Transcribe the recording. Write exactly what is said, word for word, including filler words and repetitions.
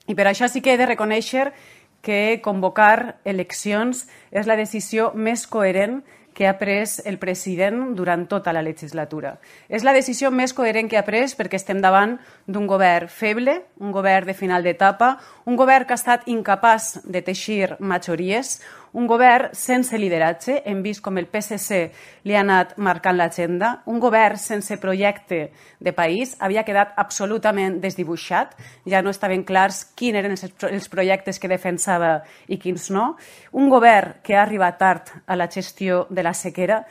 I per això sí que he de reconèixer que convocar eleccions és la decisió més coherent que ha pres el president durant tota la legislatura. És la decisió més coherent que ha pres perquè estem davant d'un govern feble, un govern de final d'etapa, un govern que ha estat incapaç de teixir majories, un govern sense lideratge, hem vist com el P S C li ha anat marcant l'agenda, un govern sense projecte de país, havia quedat absolutament desdibuixat, ja no estaven clars quins eren els projectes que defensava i quins no, un govern que ha arribat tard a la gestió de la sequera